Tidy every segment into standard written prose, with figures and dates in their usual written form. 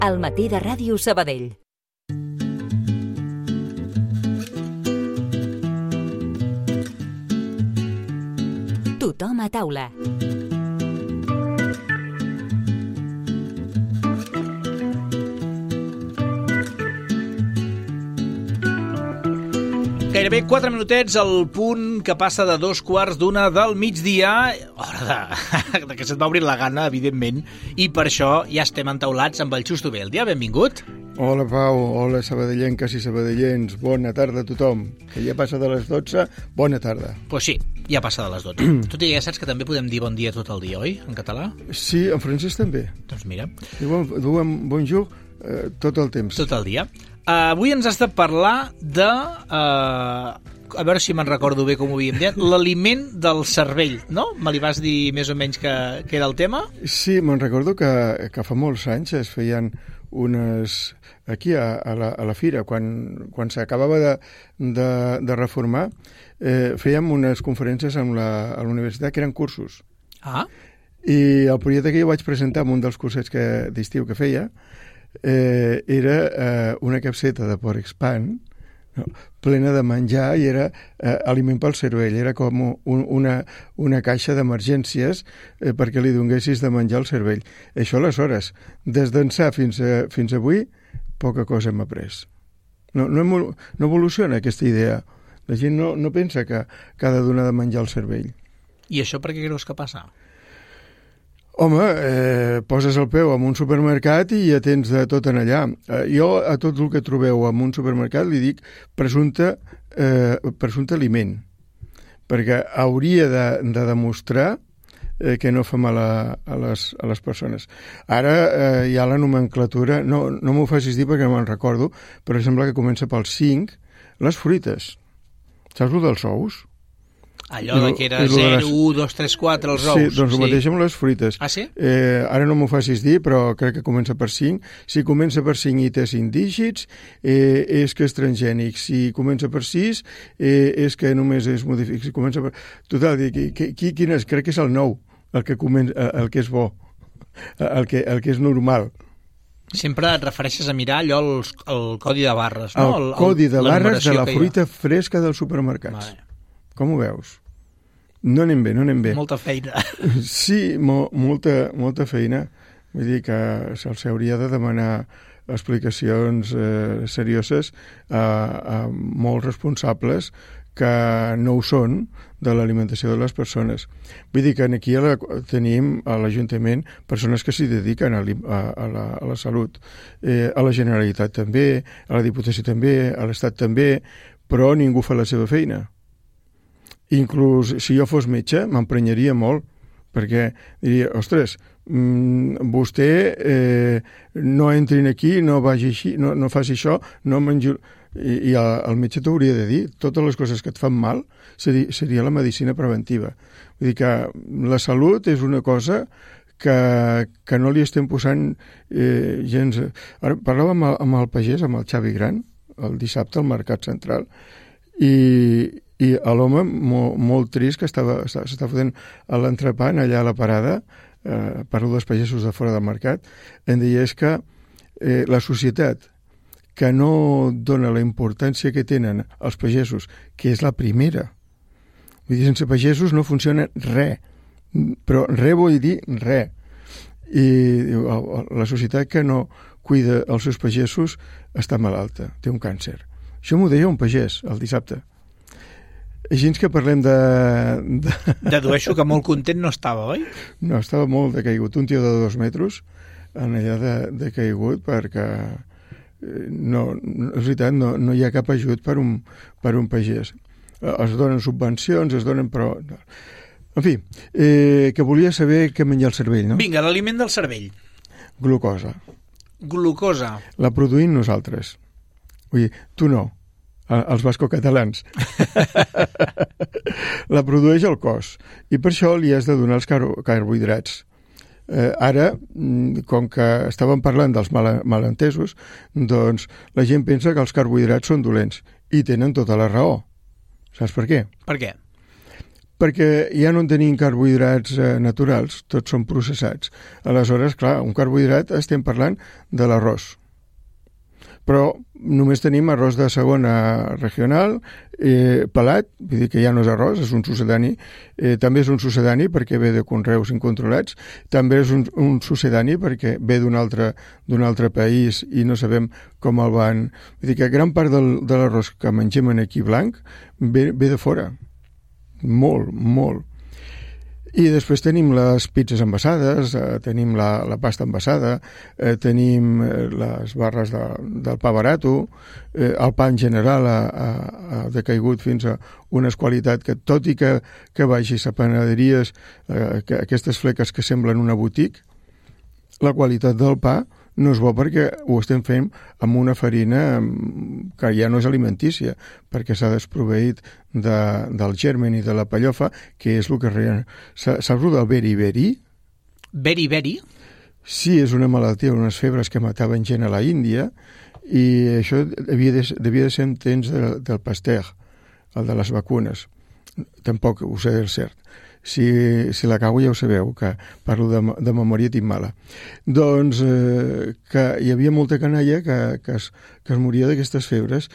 Al matí de Ràdio Sabadell. Tothom a taula. Gairebé 4 minutets al punt que passa de 2:15 del migdia. Hora de que se't va obrir la gana, evidentment. I per això ja estem entaulats amb el Xusto Beldia. Benvingut. Hola, Pau. Hola, sabadellenques i sabadellens. Bona tarda a tothom. Que ja passa de les 12. Bona tarda. Pues sí, ja passa de les 12. Tu ja saps que també podem dir bon dia tot el dia, oi? En català? Sí, en francès també. Doncs mira. Diuen bonjour tot el temps. Tot el dia. Avui ens has de parlar de... a veure si me'n recordo bé com ho havíem dit. L'aliment del cervell, no? Me li vas dir més o menys que era el tema? Sí, me'n recordo que fa molts anys es feien unes... Aquí, a la fira, quan s'acabava de reformar, fèiem unes conferències a la universitat que eren cursos. Ah. I el projecte que jo vaig presentar en un dels cursets d'estiu que feia era una capseta de porc espant, no, plena de menjar, i era aliment pel cervell. Era com una caixa d'emergències perquè li donessis de menjar al cervell. Això aleshores, des d'ençà fins avui, poca cosa hem après. No evoluciona aquesta idea. La gent no pensa que ha de donar de menjar al cervell. I això per què creus que passa? Home, poses el peu en un supermercat i ja tens de tot en allà. Jo a tot el que trobeu en un supermercat li dic presumpte aliment, perquè hauria de demostrar que no fa mal a les persones. Ara hi ha la nomenclatura, no m'ho facis dir perquè no me'n recordo, però sembla que comença pel 5, les fruites. Saps el dels ous? Allò que era 0, 1, 2, 3, 4, els ous. Sí, doncs el mateix amb les fruites. Ah, sí? Ara no m'ho facis dir, però crec que comença per 5. Si comença per 5 i té 5 dígits, és que és transgènic. Si comença per 6, és que només és modificat. Si comença per... Total, quin és? Crec que és el 9, el que és bo, el que és normal. Sempre et refereixes a mirar allò, el codi de barres, no? El codi de barres de la fruita fresca del supermercat. Vale. Com ho veus? No anem bé. Molta feina. Sí, molta feina. Vull dir que se'ls hauria de demanar explicacions serioses a molts responsables que no ho són de l'alimentació de les persones. Vull dir que aquí tenim a l'Ajuntament persones que s'hi dediquen a la salut. A la Generalitat també, a la Diputació també, a l'Estat també, però ningú fa la seva feina. Inclús si jo fos metge m'emprenyaria molt, perquè diria, ostres, vostè no entrin aquí, no vagi així, no faci això, no mengi... I el metge t'hauria de dir totes les coses que et fan mal seria la medicina preventiva. Vull dir que la salut és una cosa que no li estem posant gens... Ara parlava amb el pagès, amb el Xavi Gran, el dissabte al Mercat Central, i l'home molt trist que s'està fotent a l'entrepà allà a la parada, parlo dels pagesos de fora del mercat, em deia és que la societat que no dona la importància que tenen els pagesos, que és la primera, vull dir, sense pagesos no funciona res, però res vull dir res, i la societat que no cuida els seus pagesos està malalta, té un càncer. Això m'ho deia un pagès el dissabte. Així que parlem de... Dedueixo que molt content no estava, oi? No, estava molt decaigut. Un tio de 2 metres en allà decaigut perquè no, és veritat, no hi ha cap ajut per un pagès. Es donen subvencions, es donen, però... En fi, que volia saber què menjar el cervell, no? Vinga, l'aliment del cervell. Glucosa. Glucosa. La produïm nosaltres. Vull dir, tu no. Els bascocatalans. La produeix el cos i per això li has de donar els carbohidrats. Ara, com que estàvem parlant dels malentesos, doncs la gent pensa que els carbohidrats són dolents i tenen tota la raó. Saps per què? Per què? perquè ja no en tenim carbohidrats naturals, tots són processats. Aleshores, clar, un carbohidrat estem parlant de l'arròs. Però només tenim arròs de segona regional, pelat, vull dir que ja no és arròs, és un sucedani, també és un sucedani perquè ve de conreus incontrolats, també és un sucedani perquè ve d'un altre país i no sabem com el van... Vull dir que gran part de l'arròs que mengem aquí blanc ve de fora, molt. I després tenim les pizzas envasades, tenim la pasta envasada, tenim les barres del pa barato, el pa en general ha decaigut fins a una qualitat que, tot i que vagis a panaderies, aquestes fleques que semblen una botiga, la qualitat del pa no és bo perquè ho estem fent amb una farina que ja no és alimentícia, perquè s'ha desproveït del germen i de la pellofa, que és el que... Saps el del beri-beri? Beri-beri? Sí, és una malaltia, unes febres que mataven gent a la Índia, i això devia de ser en temps del Pasteur, el de les vacunes. Tampoc ho sé del cert. Si la cago ja ho sabeu, que parlo de memòria tinc mala. Doncs que hi havia molta canalla que es moria d'aquestes febres.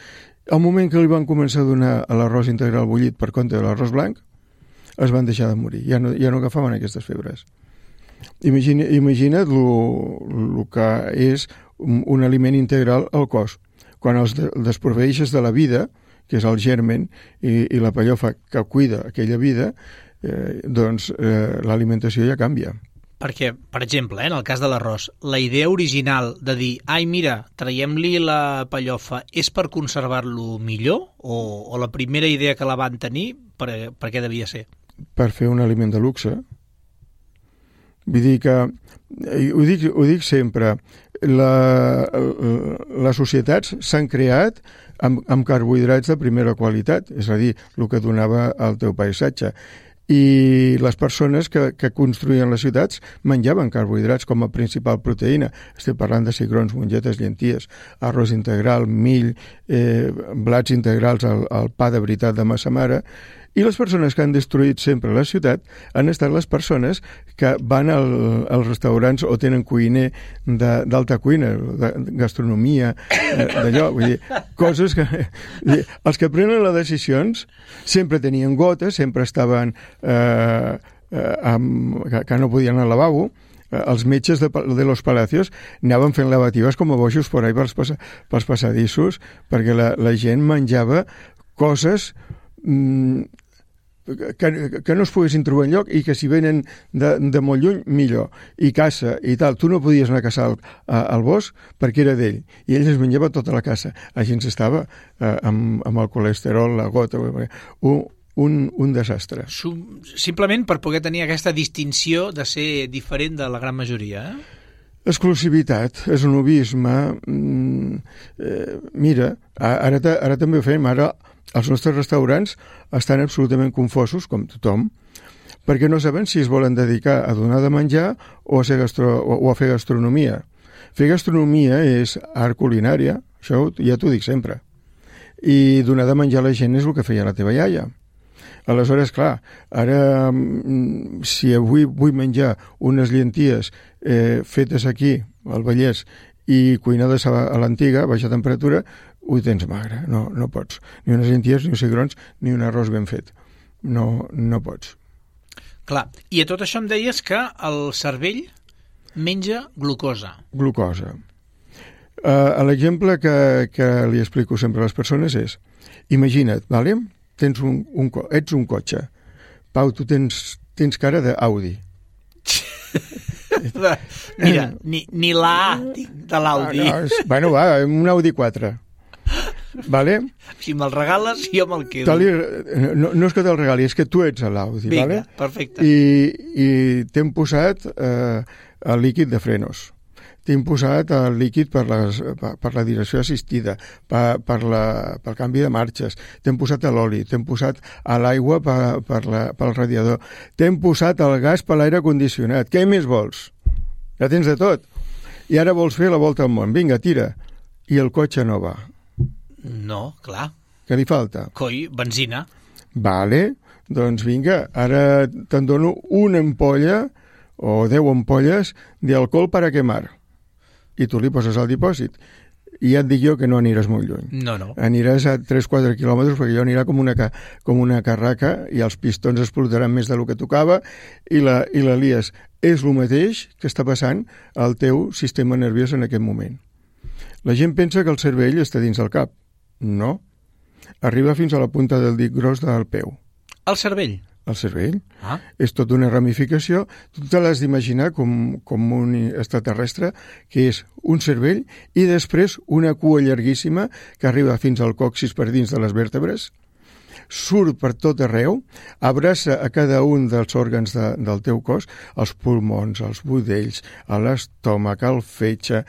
Al moment que li van començar a donar l'arròs integral bullit per compte de l'arròs blanc, es van deixar de morir, ja no agafaven aquestes febres. Imagina't el que és un aliment integral al cos. Quan els desproveeixes de la vida, que és el germen i la pellofa que cuida aquella vida, doncs l'alimentació ja canvia. Perquè, per exemple, en el cas de l'arròs, la idea original de dir, ai, mira, traiem-li la pellofa, és per conservar-lo millor? O la primera idea que la van tenir, per què devia ser? Per fer un aliment de luxe. Vull dir que, ho dic sempre, les societats s'han creat amb carbohidrats de primera qualitat, és a dir, el que donava el teu paisatge. I les persones que construïen les ciutats menjaven carbohidrats com a principal proteïna. Estem parlant de cigrons, mongetes, llenties, arròs integral, mill, blats integrals, el pa de veritat de massa mare. I les persones que han destruït sempre la ciutat han estat les persones que van als restaurants o tenen cuiner d'alta cuina, de gastronomia, d'allò. Vull dir, coses que... Els que prenen les decisions sempre tenien gotes, sempre estaven... que no podien anar al lavabo. Els metges de los palacios anaven fent lavatives com a bojos por ahí pels passadissos, perquè la gent menjava coses... que no es poguessin trobar enlloc i que si venen de molt lluny, millor. I caça i tal. Tu no podies anar a caçar al bosc perquè era d'ell. I ell es menjava tota la caça. Així ens estava amb el colesterol, la gota... Un desastre. Simplement per poder tenir aquesta distinció de ser diferent de la gran majoria, Exclusivitat, esnobisme... Mira, ara també ho fem, ara... Els nostres restaurants estan absolutament confosos, com tothom, perquè no saben si es volen dedicar a donar de menjar o a fer gastronomia. Fer gastronomia és art culinària, això ja t'ho dic sempre. I donar de menjar a la gent és el que feia la teva iaia. Aleshores, clar, ara, si avui vull menjar unes llenties fetes aquí, al Vallès, i cuinades a l'antiga, a baixa temperatura, ho tens magre, no pots. Ni unes llenties, ni uns cigrons, ni un arròs ben fet. No pots. Clar, i a tot això em deies que el cervell menja glucosa. Glucosa. L'exemple que li explico sempre a les persones és, imagina't, vale? Ets un cotxe. Pau, tu tens cara d'Audi. Mira, ni la A de l'Audi. Bueno, va, un Audi 4. Vale? Si me'l regales, jo me'l quedo. No és que te'l regali, és que tu ets l'Audi. Vinga, vale? Perfecte. I t'hem posat el líquid de frenos. T'hem posat el líquid per la direcció assistida, pel canvi de marxes, t'hem posat l'oli, t'hem posat l'aigua pel radiador, t'hem posat el gas per l'aire condicionat. Què més vols? Ja tens de tot. I ara vols fer la volta al món. Vinga, tira. I el cotxe no va. No, clar. Què li falta? Coi, benzina. Vale. Doncs vinga, ara te'n dono una ampolla o 10 ampolles d'alcohol per a quemar. I tu li poses al dipòsit. I ja et dic jo que no aniràs molt lluny. No. Aniràs a 3-4 quilòmetres perquè allò anirà com una carraca i els pistons explotaran més del que tocava i la lies. És el mateix que està passant al teu sistema nerviós en aquest moment. La gent pensa que el cervell està dins del cap. No. Arriba fins a la punta del dit gros del peu. El cervell? El cervell. És tota una ramificació. Tu te l'has d'imaginar com un extraterrestre que és un cervell i després una cua llarguíssima que arriba fins al còccix per dins de les vèrtebres, surt per tot arreu, abraça a cada un dels òrgans del teu cos, els pulmons, els budells, a l'estómac, al fetge,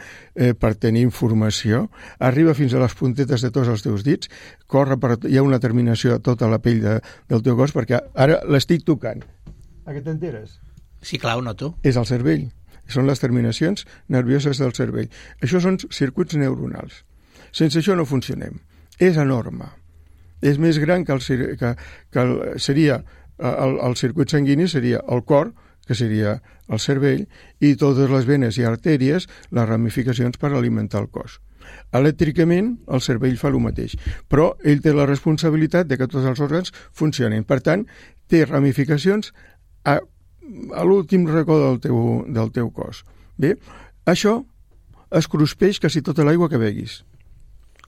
per tenir informació, arriba fins a les puntetes de tots els teus dits, hi ha una terminació a tota la pell del teu cos, perquè ara l'estic tocant. A què t'enteres? Sí, clar, ho noto. És el cervell. Són les terminacions nervioses del cervell. Això són circuits neuronals. Sense això no funcionem. És enorme. És més gran que seria el circuit sanguini, seria el cor, que seria el cervell, i totes les venes i artèries, les ramificacions per alimentar el cos. Elèctricament, el cervell fa el mateix, però ell té la responsabilitat de que tots els òrgans funcionin. Per tant, té ramificacions a l'últim racó del teu cos. Bé, això es cruspeix quasi tota l'aigua que beguis.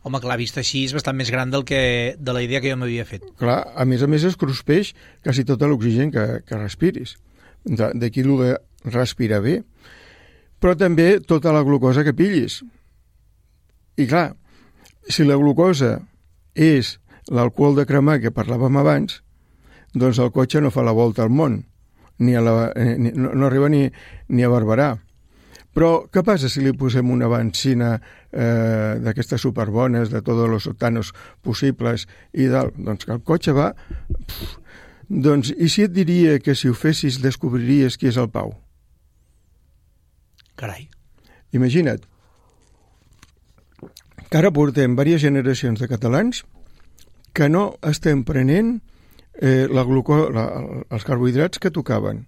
Home, clar, vist així és bastant més gran de la idea que jo m'havia fet. Clar, a més es cruspeix quasi tot l'oxigen que respiris. D'aquí el de respirar bé. Però també tota la glucosa que pillis. I clar, si la glucosa és l'alcohol de cremar que parlàvem abans, doncs el cotxe no fa la volta al món, no arriba ni a Barberà. Però què passa si li posem una benzina d'aquestes superbones, de tots els octanos possibles i tal? Doncs que el cotxe va... Doncs, i si et diria que si ho fessis descobriries qui és el Pau? Carai. Imagina't que ara portem diverses generacions de catalans que no estem prenent els carbohidrats que tocaven,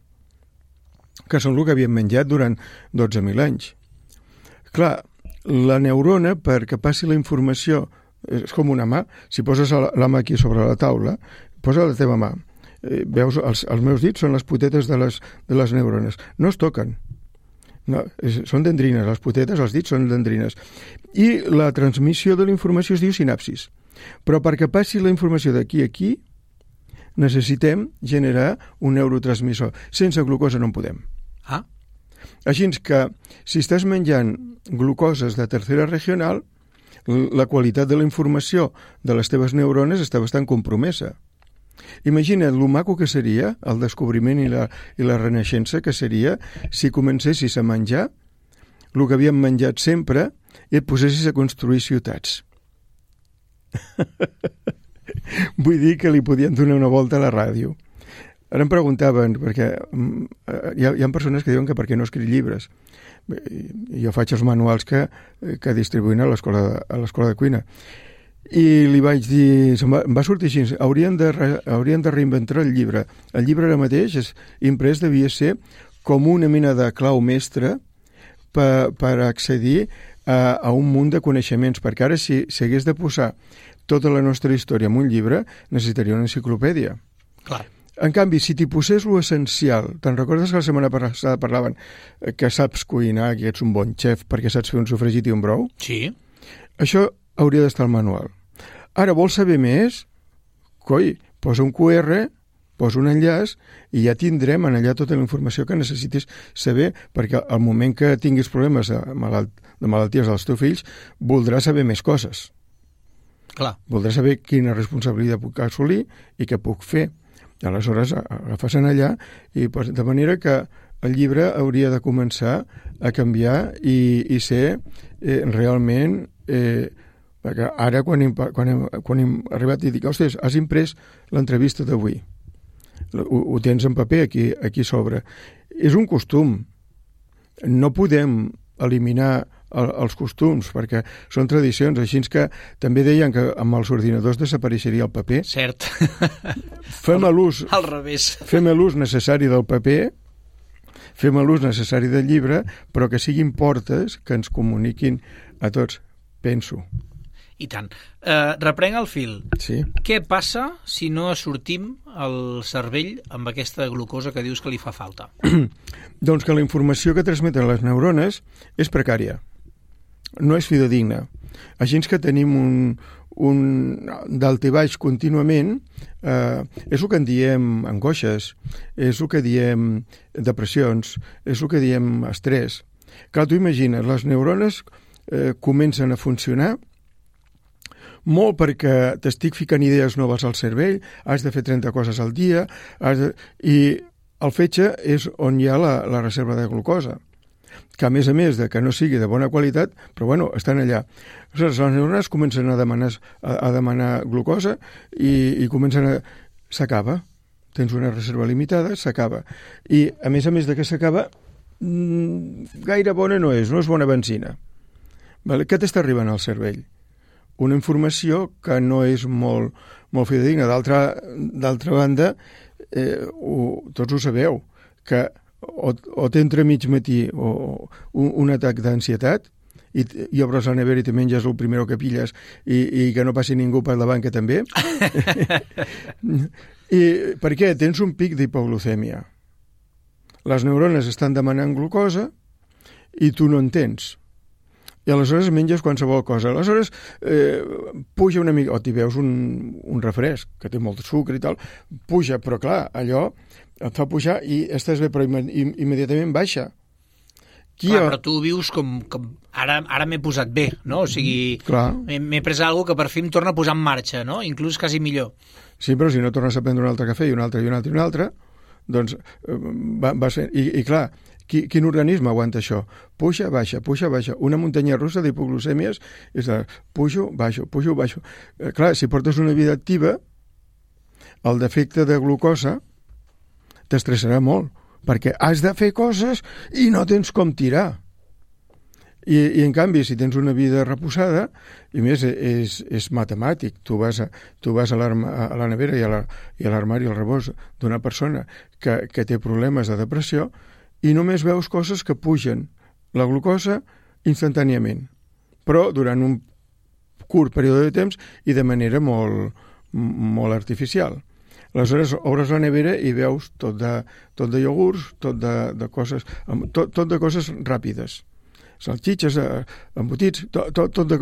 que són el que havien menjat durant 12.000 anys. Clar, la neurona, perquè passi la informació, és com una mà. Si poses la mà aquí sobre la taula, posa la teva mà. Veus, els meus dits són les potetes de les neurones. No es toquen. No, són dendrines, les potetes, els dits són dendrines. I la transmissió de la informació es diu sinapsis. Però perquè passi la informació d'aquí a aquí, necessitem generar un neurotransmissor. Sense glucosa no en podem. Així que, si estàs menjant glucoses de tercera regional, la qualitat de la informació de les teves neurones està bastant compromesa. Imagina't lo maco que seria el descobriment i la renaixença que seria si comencessis a menjar el que havíem menjat sempre i et posessis a construir ciutats. Vull dir que li podien donar una volta a la ràdio. Ara em preguntaven, perquè hi ha persones que diuen que per què no escric llibres. Jo faig els manuals que distribuïn a l'escola de cuina. I li vaig dir, em va sortir així, haurien de reinventar el llibre. El llibre ara mateix, imprès, devia ser com una mena de clau mestra per accedir a un munt de coneixements, perquè ara si hagués de posar tota la nostra història en un llibre, necessitaria una enciclopèdia. Clar. En canvi, si t'hi posés lo essencial, te'n recordes que la setmana passada parlaven que saps cuinar, que ets un bon xef perquè saps fer un sofregit i un brou? Sí. Això hauria d'estar al manual. Ara, vols saber més? Coi, posa un QR, posa un enllaç i ja tindrem en allà tota la informació que necessitis saber, perquè al moment que tinguis problemes de malalties dels teus fills, voldràs saber més coses. Clar. Voldràs saber quina responsabilitat puc assolir i què puc fer. Aleshores, agafes en allà i de manera que el llibre hauria de començar a canviar i ser realment... perquè ara, quan hem arribat i dic, ostres, has imprès l'entrevista d'avui. Ho tens en paper aquí sobre. És un costum. No podem eliminar els costums, perquè són tradicions, així que també deien que amb els ordinadors desapareixeria el paper. Cert. Fem l'ús al revés. Fem l'ús necessari del paper, fem l'ús necessari del llibre, però que siguin portes que ens comuniquin a tots, penso. I tant. Reprenc el fil. Sí. Què passa si no sortim al cervell amb aquesta glucosa que dius que li fa falta? Doncs que la informació que transmeten les neurones és precària, no és fidedigna. Així que tenim un dalt i baix contínuament, és el que en diem angoixes, és el que diem depressions, és el que diem estrès. Clar, tu imagines, les neurones comencen a funcionar molt perquè t'estic ficant idees noves al cervell, has de fer 30 coses al dia, i el fetge és on hi ha la reserva de glucosa, que a més de que no sigui de bona qualitat, però bueno, estan allà. Les neurones comencen a demanar glucosa i comencen a... S'acaba. Tens una reserva limitada, s'acaba. I a més de que s'acaba, gaire bona no és bona benzina. Vale? Què t'està arribant al cervell? Una informació que no és molt fidedigna. D'altra banda, tots ho sabeu, que o t'entra mig matí o un atac d'ansietat i obres la nevera i te menges el primer que pilles i que no passi ningú per davant que també. I per què? Tens un pic d'hipoglucèmia. Les neurones estan demanant glucosa i tu no en tens. I aleshores menges qualsevol cosa. Aleshores puja una mica, o t'hi veus un refresc, que té molt de sucre i tal, puja, però clar, allò et fa pujar i estàs bé, però immediatament baixa. Però tu vius com ara m'he posat bé, no? O sigui, m'he pres alguna que per fi em torna a posar en marxa, no? Inclús quasi millor. Sí, però si no tornes a prendre un altre cafè i un altre, doncs vas fent... I clar, quin organisme aguanta això? Puja, baixa. Una muntanya russa d'hipoglucèmies és de pujo, baixo. Clar, si portes una vida activa, el defecte de glucosa t'estressarà molt, perquè has de fer coses i no tens com tirar. I en canvi, si tens una vida reposada, i més és matemàtic, tu vas a la nevera i a l'armari, al rebost d'una persona que té problemes de depressió, i només veus coses que pugen la glucosa instantàniament, però durant un curt període de temps i de manera molt artificial. Aleshores, obres la nevera i veus tot de iogurts, tot de coses ràpides. Salxitxes, embotits, tot de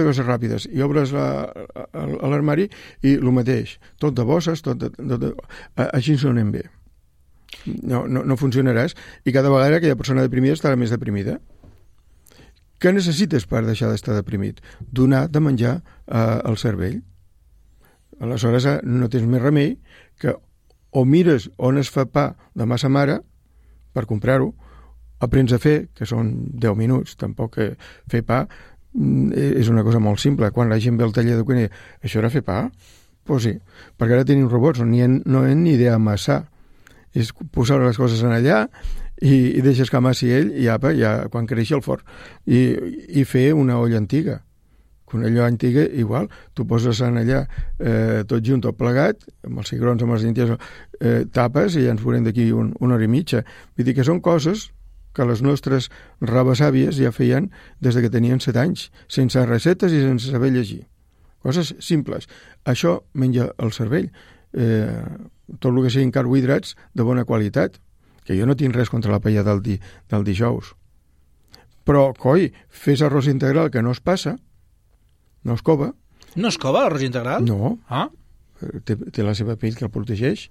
coses ràpides. I obres l'armari i el mateix. Tot de bosses, així no anem bé. No funcionaràs i cada vegada aquella persona deprimida estarà més deprimida. Què necessites per deixar d'estar deprimit? Donar de menjar al cervell. Aleshores no tens més remei que o mires on es fa pa de massa mare per comprar-ho, aprens a fer, que són 10 minuts, tampoc fer pa és una cosa molt simple. Quan la gent ve al taller de cuina, això era fer pa? Doncs sí, perquè ara tenim robots on no hi ha ni idea amassar. És posar les coses en allà i deixes que amassi ell i apa, ja quan creixi el forn. I fer una olla antiga. Una olla antiga, igual, tu poses en allà tot junt, tot plegat, amb els cigrons, amb les llenties, tapes i ja ens veurem d'aquí una hora i mitja. Vull dir que són coses que les nostres rabasàvies ja feien des que tenien 7 anys, sense receptes i sense saber llegir. Coses simples. Això menja el cervell. Tot el que siguin carbohidrats de bona qualitat, que jo no tinc res contra la paella del dijous. Però, coi, fes arròs integral que no es passa, no es cova. No es cova l'arròs integral? No. Ah? Té la seva pell que el protegeix.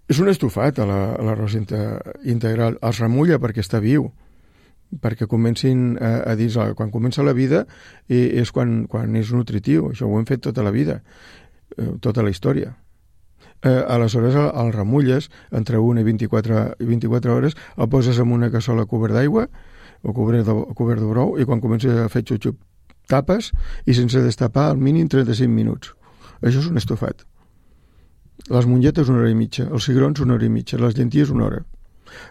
És un estofat, l'arròs integral. Es remulla perquè està viu, perquè comencin a dir, quan comença la vida és quan és nutritiu. Això ho hem fet tota la vida, tota la història. Aleshores el remulles entre 1 i 24 hores, el poses en una cassola cobert d'aigua o cobert de brou i quan comença a fer xup-xup tapes i sense destapar al mínim 35 minuts. Això és un estofat. Les mongetes 1 hora i mitja, els cigrons 1 hora i mitja, les llenties 1 hora.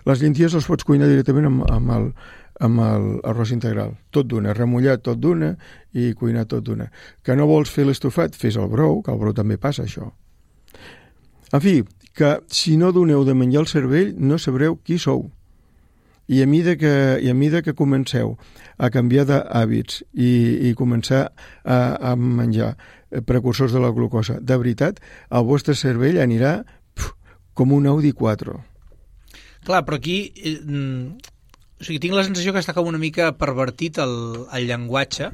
Les llenties les pots cuinar directament amb l'arròs integral. Tot d'una, remullat tot d'una i cuinat tot d'una. Que no vols fer l'estofat? Fes el brou, que el brou també passa això. En fi, que si no doneu de menjar al cervell no sabreu qui sou. I a mida que comenceu a canviar d'hàbits i començar a menjar precursors de la glucosa, de veritat, el vostre cervell anirà com un Audi 4. Clar, però aquí tinc la sensació que està com una mica pervertit el llenguatge,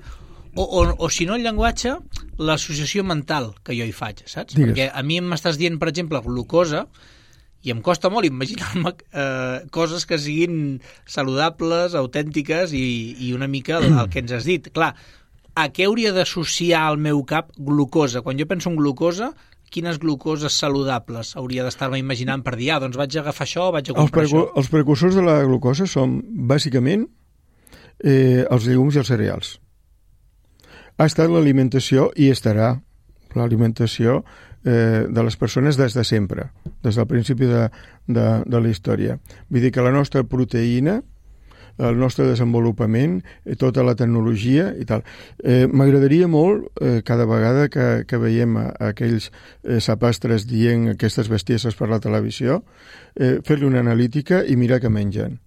o si no el llenguatge, l'associació mental que jo hi faig, saps? Digues. Perquè a mi m'estàs dient, per exemple, glucosa, i em costa molt imaginar-me coses que siguin saludables, autèntiques i una mica el que ens has dit. Clar, a què hauria d'associar al meu cap glucosa? Quan jo penso en glucosa, quines glucoses saludables hauria d'estar-me imaginant per dir, doncs vaig a agafar això, vaig a comprar això? Els precursors de la glucosa són, bàsicament, els llegums i els cereals. Ha estat l'alimentació i estarà l'alimentació de les persones des de sempre, des del principi de la història. Vull dir que la nostra proteïna, el nostre desenvolupament, tota la tecnologia i tal. M'agradaria molt, cada vegada que veiem aquells sapastres dient aquestes bestieses per la televisió, fer-li una analítica i mirar què mengen.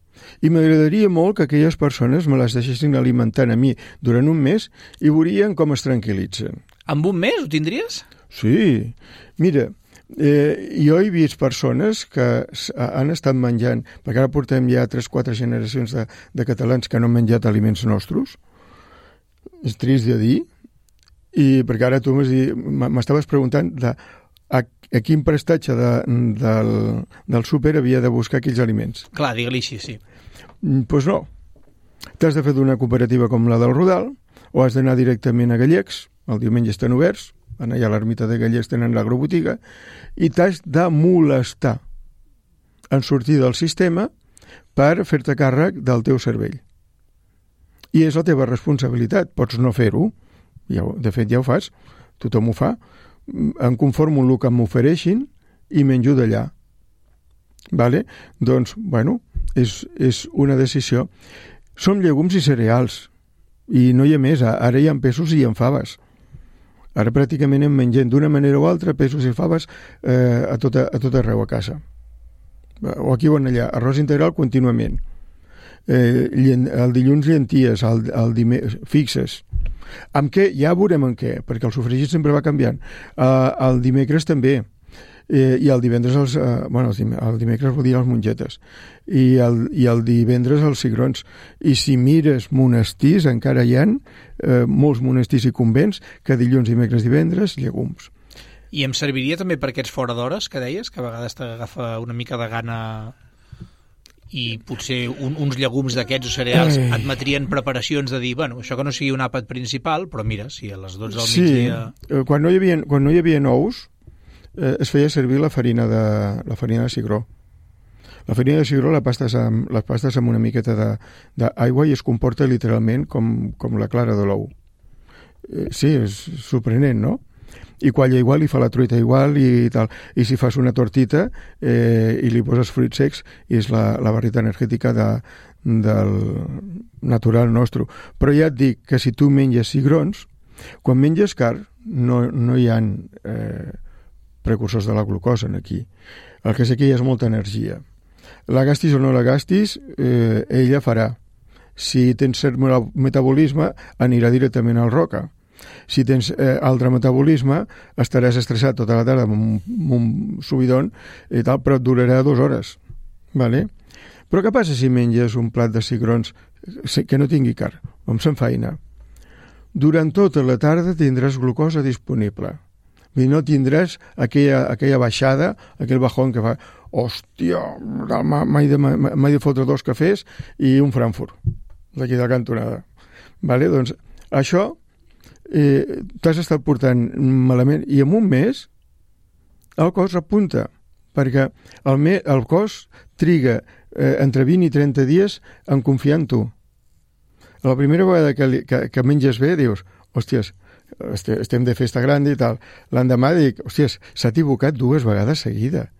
I m'agradaria molt que aquelles persones me les deixessin alimentant a mi durant un mes i veurien com es tranquil·litzen. Amb un mes ho tindries? Sí. Mira, jo he vist persones que han estat menjant, perquè ara portem ja 3-4 generacions de catalans que no han menjat aliments nostres, és trist de dir, i perquè ara tu m'estaves preguntant a quin prestatge del súper havia de buscar aquells aliments. Clar, digue-li així, sí. Doncs no. T'has de fer d'una cooperativa com la del Rodal, o has d'anar directament a Gallecs, el diumenge estan oberts, allà a l'ermita de Gallecs tenen l'agrobotiga, i t'has de molestar en sortir del sistema per fer-te càrrec del teu cervell. I és la teva responsabilitat, pots no fer-ho, de fet ja ho fas, tothom ho fa, em conformo amb el que m'ofereixin i menjo d'allà. Vale? Doncs, bueno, és una decisió. Som llegums i cereals, i no hi ha més, ara hi ha peixos i hi ha faves. Ara pràcticament hem mengem d'una manera o altra peixos i faves a tot arreu a casa. O aquí o allà, arròs integral contínuament. El dilluns llenties, el dimecres fixes. Amb què? Ja veurem en què, perquè el sofregit sempre va canviant. El dimecres també. I el divendres el dimecres vol dir les mongetes i el divendres els cigrons. I si mires monestirs encara hi ha molts monestirs i convents que dilluns, dimecres, divendres llegums. I em serviria també per aquests fora d'hores que deies, que a vegades t'agafa una mica de gana i potser uns llegums d'aquests o cereals admetrien preparacions de dir, bueno, això que no sigui un àpat principal, però mira, si a les 12 del migdia... Quan no hi havia ous es feia servir la farina de cigró. La farina de cigró la pastes amb una miqueta d'aigua i es comporta literalment com la clara de l'ou. Sí, és sorprenent, no? I qualla igual, i fa la truita igual i tal. I si fas una tortita i li poses fruits secs, és la barrita energètica del natural nostre. Però ja et dic que si tu menges cigrons, quan menges carn no hi ha precursors de la glucosa aquí. El que sé que hi ha és molta energia. La gastis o no la gastis, ella farà. Si tens cert metabolisme, anirà directament al roca. Si tens altre metabolisme, estaràs estressat tota la tarda amb un subidon i tal, però et durarà 2 hores. Vale? Però què passa si menges un plat de cigrons que no tingui carn, com s'enfaina? Durant tota la tarda tindràs glucosa disponible. I no tindràs aquella baixada, aquell bajón que fa, hòstia, m'he de fotre 2 cafès i un Frankfurt, d'aquí de la cantonada. Vale? Doncs això t'has estat portant malament i en un mes el cos repunta, perquè el cos triga entre 20 i 30 dies en confiar en tu. La primera vegada que menges bé dius, hòsties, estem de festa gran i tal. L'endemà dic, hòsties, s'ha equivocat 2 vegades seguida.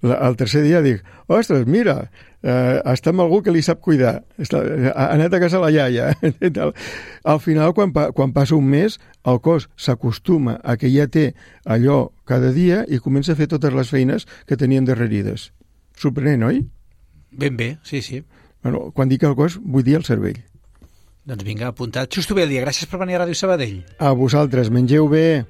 El tercer dia dic, ostres, mira, està amb algú que li sap cuidar, ha anat a casa la iaia. Al final, quan passa un mes, el cos s'acostuma a que ja té allò cada dia i comença a fer totes les feines que tenien darrerides. Sorprenent, oi? Ben bé, sí, sí. Bueno, quan dic el cos, vull dir el cervell. Doncs vinga, apuntat. Xusto bé el dia. Gràcies per venir a Ràdio Sabadell. A vosaltres, mengeu bé.